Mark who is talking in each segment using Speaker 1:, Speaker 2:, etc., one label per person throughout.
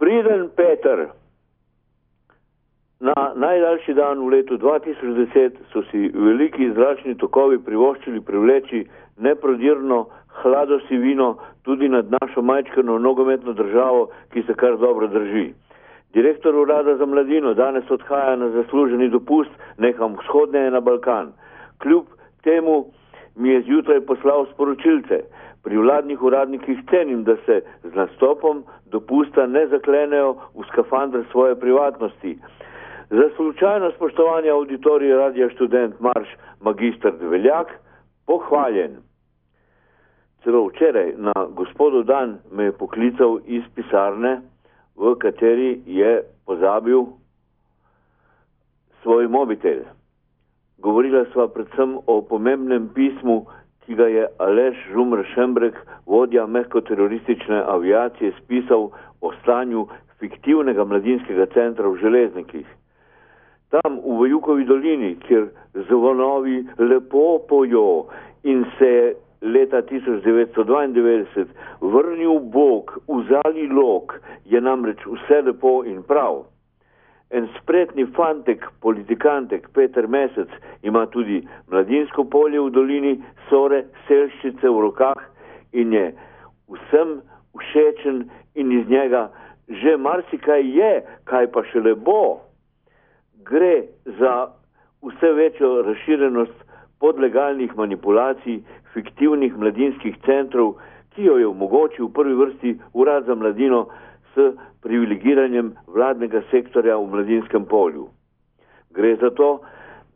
Speaker 1: Priden Peter. Na najdaljši dan v letu 2010 so si veliki zračni tokovi privoščili privleči neprodirno hladosivino tudi nad našo majčkano nogometno državo, ki se kar dobro drži. Direktor Urada za mladino danes odhaja na zasluženi dopust nekam vzhodneje na Balkan. Kljub temu mi je zjutraj poslal sporočilce. Pri vladnih uradnikih cenim, da se z nastopom dopusta ne zaklenejo v skafandr svoje privatnosti. Za slučajno spoštovanje auditorija Radia Študent Marš magister Dveljak pohvaljen. Celo včeraj na gospodov dan me je poklical iz pisarne, v kateri je pozabil svoj mobitel. Govorila sva predvsem o pomembnem pismu, ki ga je Aleš Žumr Šembrek, vodja mehko-teroristične aviacije, spisal o stanju fiktivnega mladinskega centra v Železnikih. Tam v Vajukovi dolini, kjer zvonovi lepo pojo in se je leta 1992 vrnil Bog v zali lok, je namreč vse lepo in prav. En spretni fantek, politikantek, Peter Mesec, ima tudi mladinsko polje v dolini Sore, Selščice v rokah in je vsem všečen in iz njega že marsikaj je, kaj pa šele bo. Gre za vse večjo razširenost podlegalnih manipulacij, fiktivnih mladinskih centrov, ki jo je omogočil v prvi vrsti Urad za mladino s privilegiranjem vladnega sektorja v mladinskem polju. Gre za to,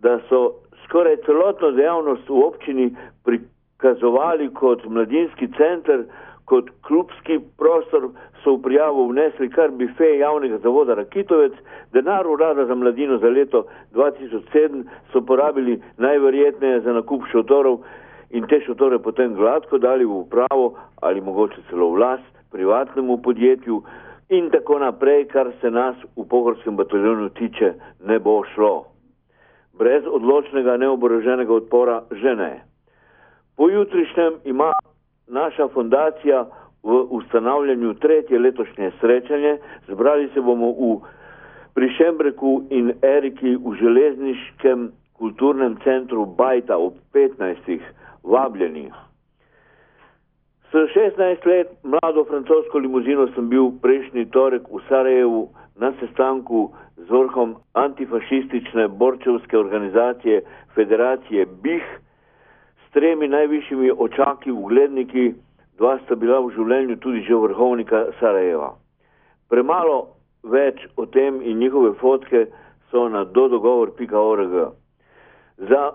Speaker 1: da so skoraj celotno dejavnost v občini prikazovali kot mladinski center, kot klubski prostor, so v prijavo vnesli kar bife javnega zavoda Rakitovec, denar Urada za mladino za leto 2007 so porabili najverjetneje za nakup šotorov in te šotore potem gladko dali v upravo ali mogoče celo v last privatnemu podjetju in tako naprej, kar se nas v pohorskem bataljonu tiče, ne bo šlo. Brez odločnega neoboroženega odpora že ne. Pojutrišnjem ima naša fundacija v ustanavljanju tretje letošnje srečanje. Zbrali se bomo pri Šembreku in Eriki v železniškem kulturnem centru Bajta ob 15. Vabljeni. S 16 let mlado francosko limuzino sem bil prejšnji torek v Sarajevu na sestanku z vrhom antifašistične borčevske organizacije Federacije BIH s 3 najvišjimi očaki ugledniki, 2 sta bila v življenju tudi že vrhovnika Sarajeva. Premalo več o tem in njihove fotke so na dodogovor.org. Za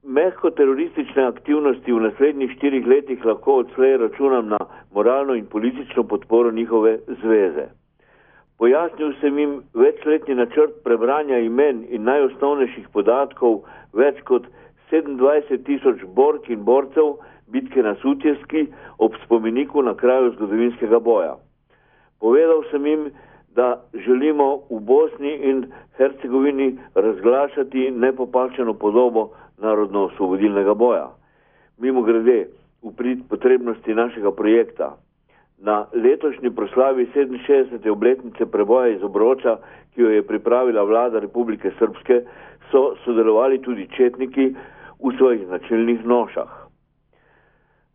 Speaker 1: mehko-teroristične aktivnosti v naslednjih 4 letih lahko odslej računam na moralno in politično podporo njihove zveze. Pojasnil sem jim večletni načrt prebranja imen in najosnovnejših podatkov več kot 27.000 bork in borcev bitke na Sutjeski ob spomeniku na kraju zgodovinskega boja. Povedal sem jim, da želimo v Bosni in Hercegovini razglašati nepopačeno podobo narodno-osvobodilnega boja. Mimo grede, v prid potrebnosti našega projekta. Na letošnji proslavi 67. obletnice preboja iz Obroča, ki jo je pripravila vlada Republike Srpske, so sodelovali tudi četniki v svojih značilnih nošah.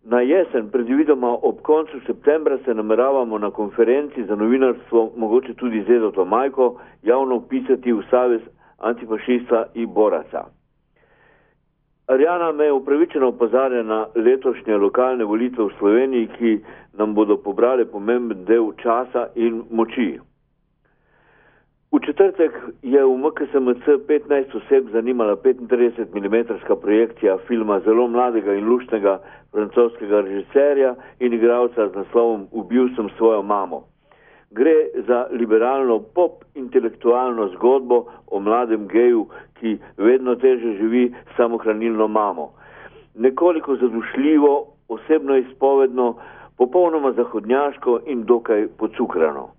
Speaker 1: Na jesen, predvidoma ob koncu septembra, se nameravamo na konferenci za novinarstvo, mogoče tudi z Edoto Majko, javno upisati v Savez antifašista in boraca. Arjana me upravičeno opozarja na letošnje lokalne volitve v Sloveniji, ki nam bodo pobrali pomemben del časa in moči. V četrtek je v MKSMC 15 oseb zanimala 35 mm projekcija filma zelo mladega in luštnega francoskega režiserja in igralca z naslovom Ubil sem svojo mamo. Gre za liberalno pop-intelektualno zgodbo o mladem geju, ki vedno teže živi samohranilno mamo. Nekoliko zadušljivo, osebno izpovedno, popolnoma zahodnjaško in dokaj pocukrano.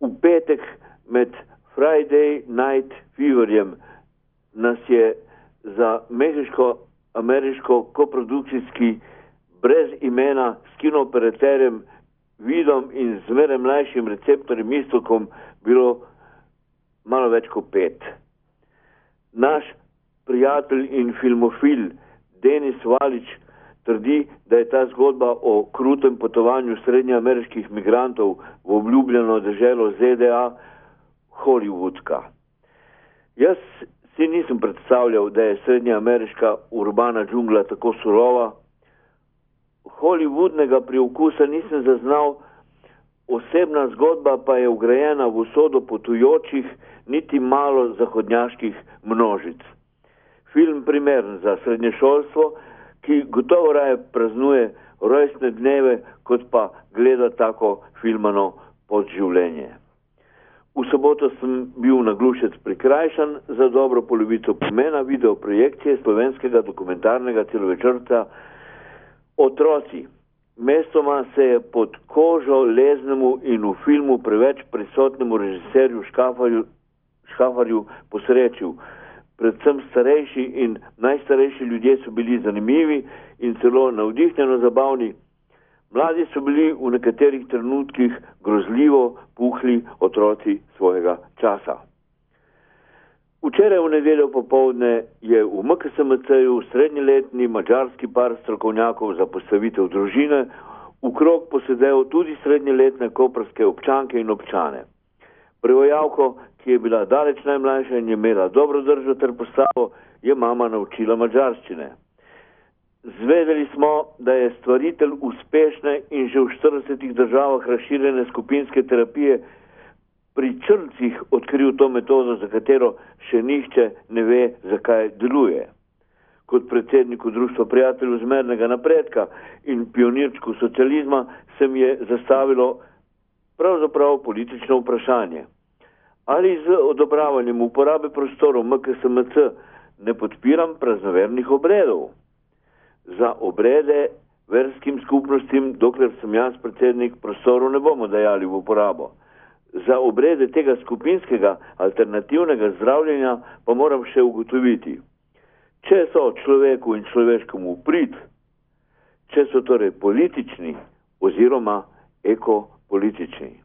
Speaker 1: V petek med Friday Night Feverjem nas je za mehiško-ameriško koprodukcijski brez imena s kinooperaterjem vidom in zmeraj mlajšim receptorjem istokom bilo malo več kot 5. Naš prijatelj in filmofil Denis Valič trdi, da je ta zgodba o krutem potovanju srednjeameriških migrantov v obljubljeno deželo ZDA hollywoodska. Jaz si nisem predstavljal, da je srednjeameriška urbana džungla tako surova. Hollywoodnega priokusa nisem zaznal, osebna zgodba pa je vgrajena v usodo potujočih, niti malo zahodnjaških množic. Film primeren za srednješolstvo, ki gotovo raje praznuje rojstne dneve, kot pa gleda tako filmano podživljenje. V soboto sem bil na Glušec prikrajšan za dobro polovico pomena videoprojekcije slovenskega dokumentarnega celovečerca Otroci. Mestoma se je pod kožo leznemu in v filmu preveč prisotnemu režiserju Škafarju posrečil. Predvsem starejši in najstarejši ljudje so bili zanimivi in celo navdihnjeno zabavni. Mladi so bili v nekaterih trenutkih grozljivo puhli otroci svojega časa. Včeraj v nedeljo popoldne je v MKSMC-ju srednjeletni madžarski par strokovnjakov za postavitev družine v krog posedel tudi srednjeletne koprske občanke in občane. Prevajalko, ki je bila daleč najmlajša in je imela dobro držo ter postavo, je mama naučila madžarščine. Zvedeli smo, da je stvaritelj uspešne in že v 40 državah razširjene skupinske terapije pri črncih odkril to metodo, za katero še nihče ne ve, zakaj deluje. Kot predsedniku Društva prijateljev zmernega napredka in pionirčku socializma se mi je zastavilo pravzaprav politično vprašanje. Ali z odobravanjem uporabe prostorov MKSMC ne podpiram praznovernih obredov? Za obrede verskim skupnostim, dokler sem jaz predsednik, prostorov ne bomo dajali v uporabo. Za obrede tega skupinskega alternativnega zdravljenja pa moram še ugotoviti, če so človeku in človeškemu prid, če so torej politični oziroma ekopolitični.